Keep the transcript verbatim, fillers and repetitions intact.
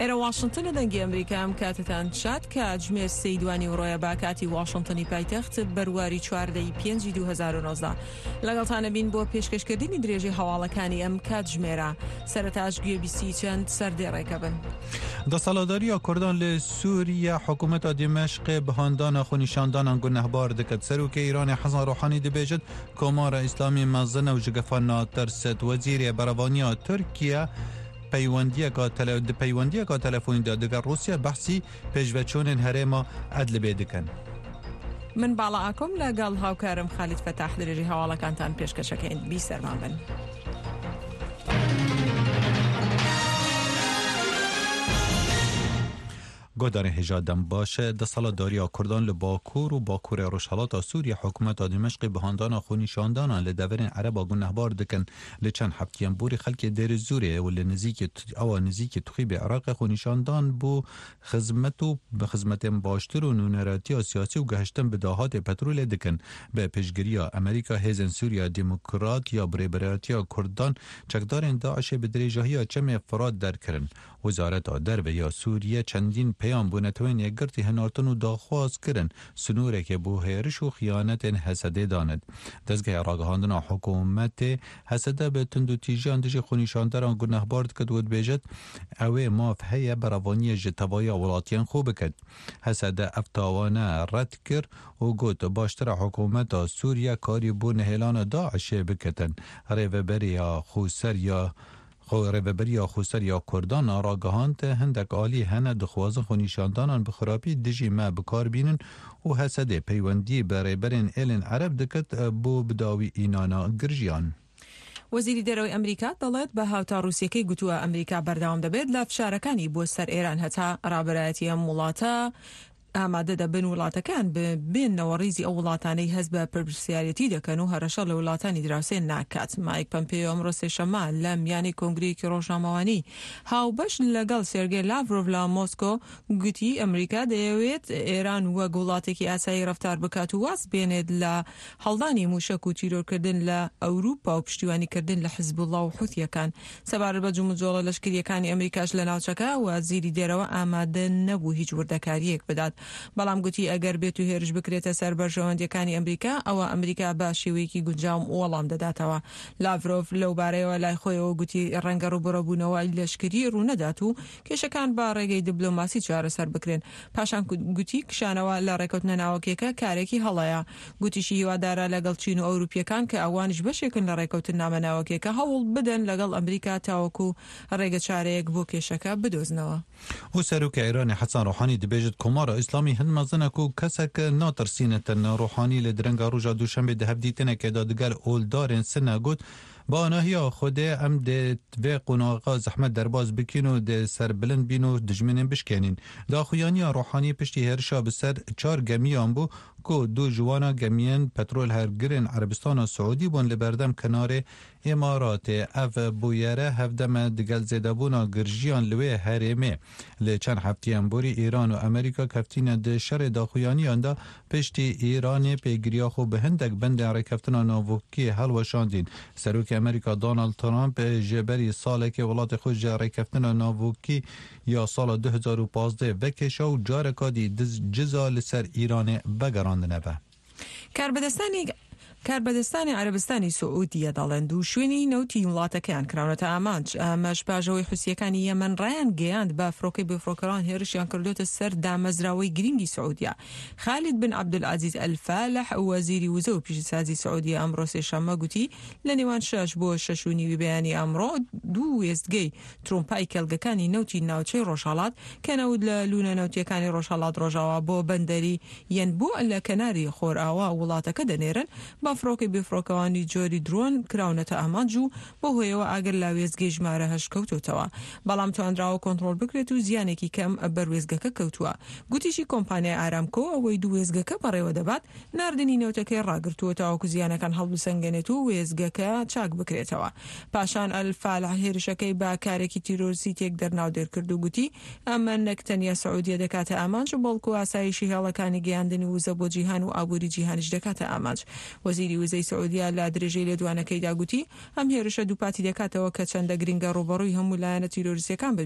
ئێرە واشنتنە، دەنگی ئەمریکا. ئەم کاتتان شاد. کاتژمێر سێی دوانیوەڕۆیە با کاتی واشنتنی پایتەخت، بەرواری چواردەی پێنجی دوو هەزار و نۆزدە. لەگەڵتانە بین بۆ پێشکەشکردنی درێژەی هەواڵەکانی ئەم کاتژمێرە. سەرەتاش گوێبیستی چەند سەردێڕێکە بن. دەسەڵاتدارییا کوردان لە سووریە حکوومەتا دیمەشقێ بە هاندانا خۆنیشاندانان گونەهبار دکرد. سەرۆکێ ئیرانێ حەسەن ڕۆحانی دبێژت کۆمارە ئیسلامی مەزنە و ji gefa ناترست. وەزیرێ بەرەڤانییا تورکیە پەیوەندیەکە پەیوەندیەکە تەلەفۆنیدا دەگەڵ ڕووسیا بەحسی پێشڤەچوونên هەرێما ئەدلبێ دکەن. من باڵا ئاکۆم لەگەڵ هاوکارم خالید فەتاح درێژی هەواڵەکانتان پێشکەشەکەین. بیسەرمان بن. گۆدارێ هێژا دەم باشە. دەسەڵاتدارییا کوردان لە باکوور و باکوورێ ڕۆژهەڵاتا سووریە حکوومەتا دیمەشقێ بە هاندانا خۆنیشاندانان لە دەڤەرên عەرەبا گونەهبار دکەن. لە چەند هەفتیان بوری خەڵکێ دێرزوورێ و لە نزیکی ئەوە نزیکی تخیبێ عێراقێ خۆنیشاندان بۆ خزمەت و بە خزمەتێن باشتر و نوێنەراتییا سیاسی و گەهشتن بە داهاتێ پەترۆلێ دکەن. بە پشتگیرییا ئەمریکا هێزên سووریا دیموکرات یا برێبەرایەتییا کوردان چەکدارên داعشێ بە درێژاهییا چەمێ فرات دەرکردن. وەزارەتا دەرڤە یا سووریە چەندین پەیام بۆ نەتەوەیên یەکگرتî هەنارتن و داخواز کردن سنوورێکێ بۆ هێرش و خیانەتێن هەسەدێ دانت. دەستگەهێ ڕاگەهاندنا حکوومەتێ هەسەدە بە توندوتیژیان دژی خۆنیشاندەران گونەهبار دکرد و دبێژێت ئەوێ ماف هەیە بەرەڤانیە ji تەڤایا وڵاتیان خۆ بکرد. هەسەدە ئەف تاوانە ڕەت کرد و گوت باشترە حکوومەتا سووریا کاری بۆ نەهێلانە داعشێ بکەتن. ڕێڤەبەرییا خۆسەر یا ڕێڤەبەرییا خۆسەر یا کوردان ڕاگەهاند هەندێک ئالی هەنە دخوازن خۆنیشاندانان بە خراپی دژی مە بکاربینن و هەسەدێ پەیوەندی بە ڕێبەرên ئێلên عەرەب دکرد بۆ بداوی ئینانا گرژیان. وەزیری دەرەوەی ئەمریکا دەڵێت بە هاوتا ڕووسیەکەی گوتووە ئەمریکا بەردەوام دەبێت لە فشارەکانی بۆ سەر ئێران هەتا ڕابەرایەتی ئەم وڵاتە ئامادە دەبن وڵاتەکان ببێنەوە ڕیزی ئەو وڵاتانەی هەست بە پرسیارەتی دەکەن و هەڕەشە لە وڵاتانی دراوسێ ناکات. مایک پەمپێیۆ ئەمڕۆ سێشەممە لە میانەی کۆنگرەیەکی ڕۆژنامەوانی هاوبەش لەگەڵ سێرگێ لاڤرۆڤ لە مۆسکۆ گوتی ئەمریکا دەیەوێت ئێران وەک وڵاتێکی ئاسایی ڕەفتار بکات و واز بێنێت لە هەڵدانی موشەک و تیرۆرکردن لە ئەوروپا و پشتیوانیکردن لە حزبوڵڵا و حوثیەکان. سەبارەت بە جموجۆڵە لەشکریەکانی ئەمریکاش لە ناوچەکە وەزیری دەرەوە ئامادە نەبوو هیچ وردەکاریەک بدات، بەڵام گوتی ئەگەر بێت و هێرش بکرێتە سەر بەرژەوەندیەکانی ئەمریکا ئەوە ئەمریکا بە شێوەیەکی گونجاوم وەڵام دەداتەوە. لاڤرۆڤ لەو بارەیەوە لای خۆیەوە گوتی ڕەنگە ڕووبەڕووبوونەوە لەشکری ڕوونەدات و کێشەکان بە ڕێگەی دیبلۆماسی چارەسەر بکرێن. پاشان گوتی کشانەوە لە ڕێکەوتنە ناوەکیەکە کارێکی هەڵەیە. گوتیشی هیوادارە لەگەڵ چین و ئەوروپیەکان کە ئەوانیش بەشێکن لە ڕێکەوتنامە ناوەکیەکە هەوڵ بدەن لەگەڵ ئەمریکا تاوەکو ڕێگە چارەیەک بۆ کێشەکە بدۆزنەوە. و سەرۆکی ئێرانی حەسەن ڕۆحانی دەبێژێت کۆمارە ئیسلامی هەند مەزنە و کەسێک ناترسینێتن. ڕۆحانی لە درەنگا ڕۆژا دووشەنبێ دە هەڤدیتنێکێدا دگەل ئۆلدارên سنە گوت بە ئاناهیا خودێ ئەم دێ vê قۆناغا زەحمەت دەرباز بکەین و دێ سەربلند بین و دژمنên بشکێنین. داخویانییا ڕۆحانی پشتی هێرشا bi ser çar gemiyan bû ku du ji wana gemiyên petrol hergirên Erebistana Siûdî bûn li berdem kenarê Îmaratê. Ev bûyere hevdeme digel zêdebûna girjiyan li wê herêmê. Li çend heftiyan borî Îran û Amerîka keftîne di şerê daxuyaniyan de piştî Îranê pêgiriya xwe bi hindek bendên rêkeftina navokî helweşandîn. Serokê Amerîka Donald Trump ji berî salekê welatê xwe ji rêkeftina navokî ya sala du hezar û pazdeh vekêşa û careka dî ciza li ser Îranê vegerandine ve. کاربەدەستانی کاربەدەستانی عەرەبستانی سعودیە دەڵێن دوو شوێنی نەوتی وڵاتەکەیان کراونەتە ئامانج. ئەمەش پاژەوەی حوسیەکانی یەمەن ڕایان گەیاند بە فڕۆکەی بێفڕۆکەوان هێرشیان کردوتە سەر دامەزراوەی گرنگی سعودیە. خالید بن عەبدولعەزیز ئەلفالح وەزیری وزە و پیشەسازی سعودیە ئەمڕۆ سێشەممە گوتی لە نێوان شەش بۆ شەش و نیوی بەیانی ئەمڕۆ دوو وێستگەی ترۆمپای کێڵگەکانی نەوتی ناوچەی ڕۆژهەڵات کە نەوت لە لوونە نەوتیەکانی ڕۆژهەڵات ڕۆژاوا بۆ بەندەری یەنبوو لە کەناری خۆرئاوا وڵاتەکە دەنێرن بە فڕۆکەی بێفڕۆکەوانی جۆری درۆن کراونەتە ئامانج و بۆ هۆیەوە ئاگر لە وێستگەی ژمارە هەشت کەوتوتەوە، بەڵام توانراوە کۆنترۆڵ بکرێت و زیانێکی کەم بەر وێستگەکە کەوتووە. گوتیشی کۆمپانیای ئارامکۆ ئەوەی دوو وێستگەکە بەڕێوە دەبات ناردنی نەوتەکەی ڕاگرتووە تاوەکو زیانەکان هەڵبسەنگێنێت و وێستگەکە چاک بکرێتەوە. پاشان ئەلفالح هێرشەکەی بە کارێکی تیرۆریستی تێکدەر ناودێر کرد و گوتی ئەمە نەک تەنیا سعودیە دەکاتە ئامانج بەڵکو ئاسایشی هێڵەکانی گەیاندنی وزە بۆ جیهان و ئابووری جیهانیش دەکاتە ئامانج. وەزیری وزەی سعودیە لە درێژەی لێدوانەکەیدا گوتی ئەم هێرشە دووپاتی دەکاتەوە کە چەندە گرنگە ڕووبەڕووی هەموو لایەنە تیرۆریستیەکان ببینەوە.